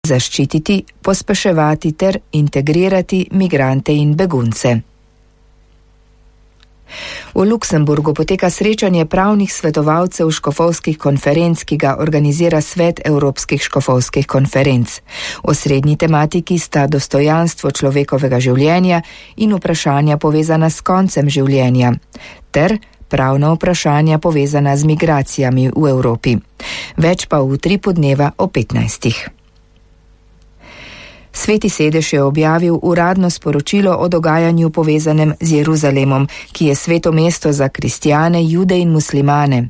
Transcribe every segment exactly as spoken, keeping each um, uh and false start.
zaščititi, pospeševati ter integrirati migrante in begunce. V Luksemburgu poteka srečanje pravnih svetovalcev škofovskih konferenc, ki ga organizira Svet Evropskih škofovskih konferenc. Osrednji tematiki sta dostojanstvo človekovega življenja in vprašanja povezana s koncem življenja, ter pravna vprašanja povezana z migracijami v Evropi. Več pa v utripu dneva o petnajstih. Sveti sedež je objavil uradno sporočilo o dogajanju povezanem z Jeruzalemom, ki je sveto mesto za kristjane, jude in muslimane.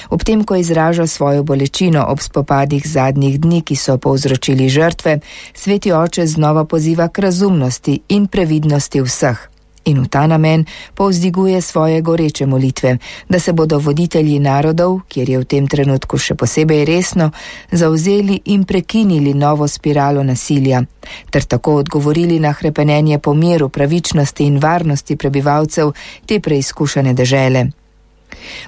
Ob tem, ko izraža svojo bolečino ob spopadih zadnjih dni, ki so povzročili žrtve, sveti oče znova poziva k razumnosti in previdnosti vseh. In v ta namen povzdiguje svoje goreče molitve, da se bodo voditelji narodov, kjer je v tem trenutku še posebej resno, zavzeli in prekinili novo spiralo nasilja, ter tako odgovorili na hrepenenje po miru, pravičnosti in varnosti prebivalcev te preizkušene dežele.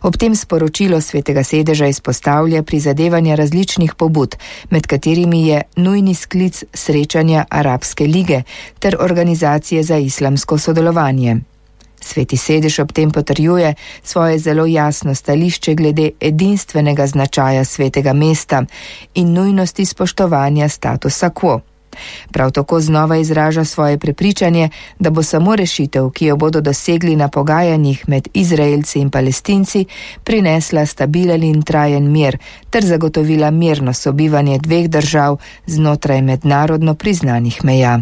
Ob tem sporočilo svetega sedeža izpostavlja prizadevanja različnih pobud, med katerimi je nujni sklic srečanja Arabske lige ter organizacije za islamsko sodelovanje. Sveti sedež ob tem potrjuje svoje zelo jasno stališče glede edinstvenega značaja svetega mesta in nujnosti spoštovanja statusa quo. Prav tako znova izraža svoje prepričanje, da bo samo rešitev, ki jo bodo dosegli na pogajanjih med Izraelci in Palestinci, prinesla stabilen in trajen mir ter zagotovila mirno sobivanje dveh držav znotraj mednarodno priznanih meja.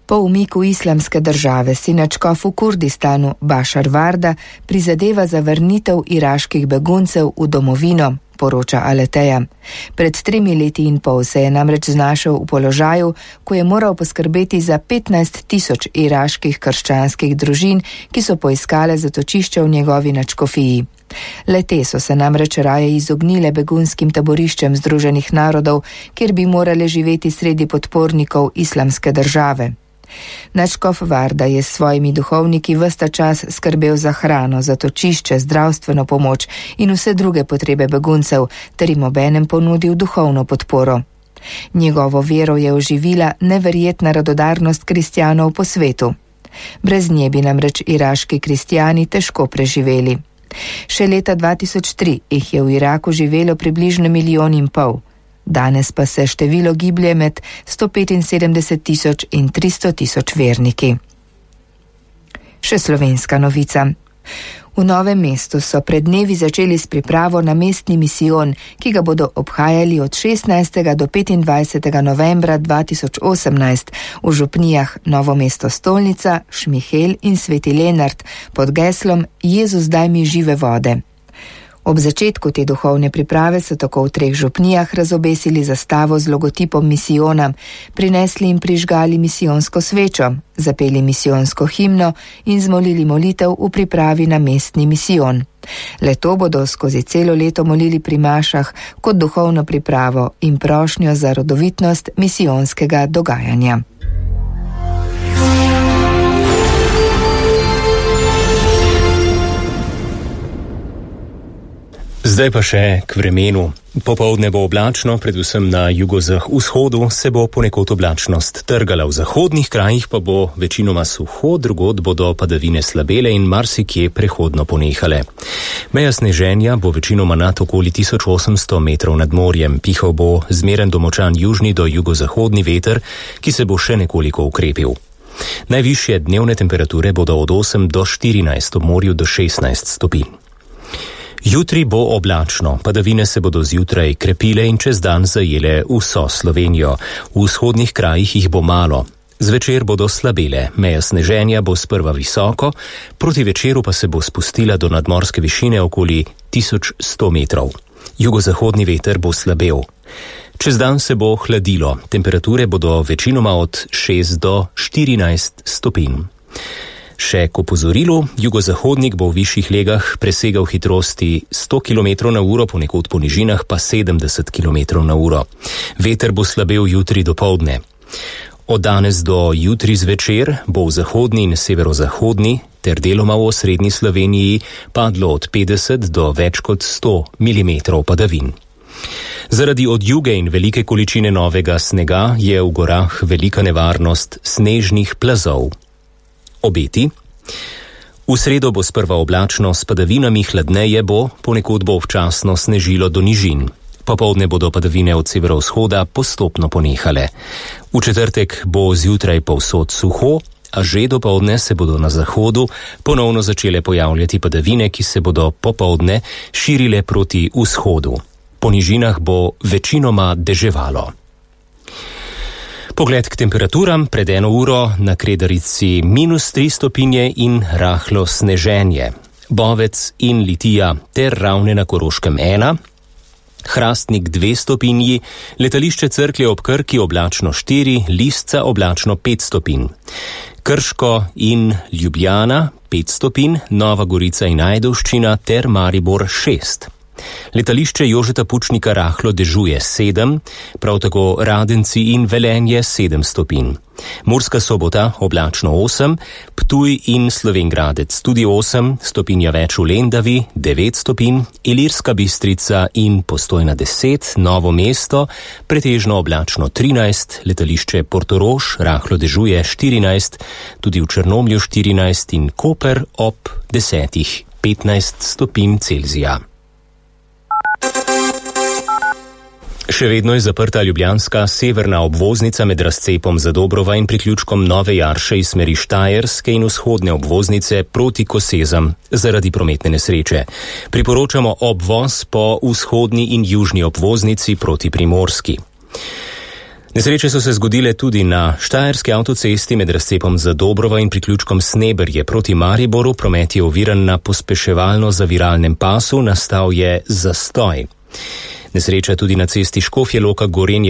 Po umiku islamske države si nadškof v Kurdistanu Bašar Varda prizadeva za vrnitev iraških beguncev v domovino, poroča Aleteja. Pred tremi leti in pol se je namreč znašel v položaju, ko je moral poskrbeti za petnajst tisoč iraških krščanskih družin, ki so poiskale zatočišče v njegovi nadškofiji. Le-te so se namreč raje izognile begunskim taboriščem Združenih narodov, kjer bi morale živeti sredi podpornikov islamske države. Nadškof Varda je s svojimi duhovniki ves ta čas skrbel za hrano, zatočišče, zdravstveno pomoč in vse druge potrebe beguncev, ter jim obenem ponudil duhovno podporo. Njegovo vero je oživila neverjetna radodarnost kristjanov po svetu. Brez nje bi namreč iraški kristjani težko preživeli. Še leta dva tisoč tri jih je v Iraku živelo približno milijon in pol. Danes pa se število giblje med sto petinsedemdeset tisoč in tristo tisoč verniki. Še slovenska novica. V Novem mestu so pred dnevi začeli s pripravo na mestni misijon, ki ga bodo obhajali od šestnajstega do petindvajsetega novembra dva tisoč osemnajst v župnijah Novo mesto Stolnica, Šmihel in Sveti Lenart pod geslom Jezus daj mi žive vode. Ob začetku te duhovne priprave so tako v treh župnijah razobesili zastavo z logotipom misijona, prinesli in prižgali misijonsko svečo, zapeli misijonsko himno in zmolili molitev v pripravi na mestni misijon. Le-to bodo skozi celo leto molili pri mašah kot duhovno pripravo in prošnjo za rodovitnost misijonskega dogajanja. Zdaj pa še k vremenu. Popoldne bo oblačno, predvsem na jugovzhodu se bo ponekod oblačnost trgala, v zahodnih krajih pa bo večinoma suho, drugod bodo padavine slabele in marsikje prehodno ponehale. Meja sneženja bo večinoma nad okoli tisoč osemsto metrov nad morjem, pihal bo zmeren do močan južni do jugozahodni veter, ki se bo še nekoliko ukrepil. Najvišje dnevne temperature bodo od osem do štirinajst, ob morju do šestnajst stopinj. Jutri bo oblačno, padavine se bodo zjutraj krepile in čez dan zajele vso Slovenijo. V vzhodnih krajih jih bo malo. Zvečer bodo slabele, meja sneženja bo sprva visoko, proti večeru pa se bo spustila do nadmorske višine okoli tisoč sto metrov. Jugozahodni veter bo slabel. Čez dan se bo hladilo, temperature bodo večinoma od šest do štirinajst stopinj. Še k opozorilu, jugozahodnik bo v višjih legah presegal hitrosti sto kilometrov na uro, ponekod po nižinah pa sedemdeset kilometrov na uro. Veter bo slabel jutri dopoldne. Od danes do jutri zvečer bo v zahodni in severozahodni ter deloma v osrednji Sloveniji padlo od petdeset do več kot sto milimetrov padavin. Zaradi odjuge in velike količine novega snega je v gorah velika nevarnost snežnih plazov. Obeti. V sredo bo sprva oblačno s padavinami, hladneje bo, ponekod bo občasno snežilo do nižin. Popoldne bodo padavine od severovzhoda postopno ponehale. V četrtek bo zjutraj povsod suho, a že dopoldne se bodo na zahodu ponovno začele pojavljati padavine, ki se bodo popoldne širile proti vzhodu. Po nižinah bo večinoma deževalo. Pogled k temperaturam. Pred eno uro na Kredarici minus tri stopinje in rahlo sneženje. Bovec in Litija ter Ravne na Koroškem ena. Hrastnik dve stopinji, letališče Cerklje ob Krki oblačno štiri, Lisca oblačno pet stopinj. Krško in Ljubljana pet stopinj, Nova Gorica in Ajdovščina ter Maribor šest. Letališče Jožeta Pučnika rahlo dežuje sedem, prav tako Radenci in Velenje sedem stopinj. Murska Sobota oblačno osem, Ptuj in Slovenj Gradec tudi osem, stopinja več v Lendavi devet stopinj, Ilirska Bistrica in Postojna deset, Novo mesto pretežno oblačno trinajst, letališče Portorož rahlo dežuje štirinajst, tudi v Črnomlju štirinajst in Koper ob desetih petnajst stopinj Celzija. Še vedno je zaprta ljubljanska severna obvoznica med razcepom Zadobrova in priključkom Nove Jarše iz smeri Štajerske in vzhodne obvoznice proti Kosezam zaradi prometne nesreče. Priporočamo obvoz po vzhodni in južni obvoznici proti Primorski. Nesreče so se zgodile tudi na Štajerski avtocesti med razcepom Zadobrova in priključkom Sneberje proti Mariboru. Promet je oviran na pospeševalno-zaviralnem pasu, nastal je zastoj. Nesreča tudi na cesti Škofje Loka Gorenja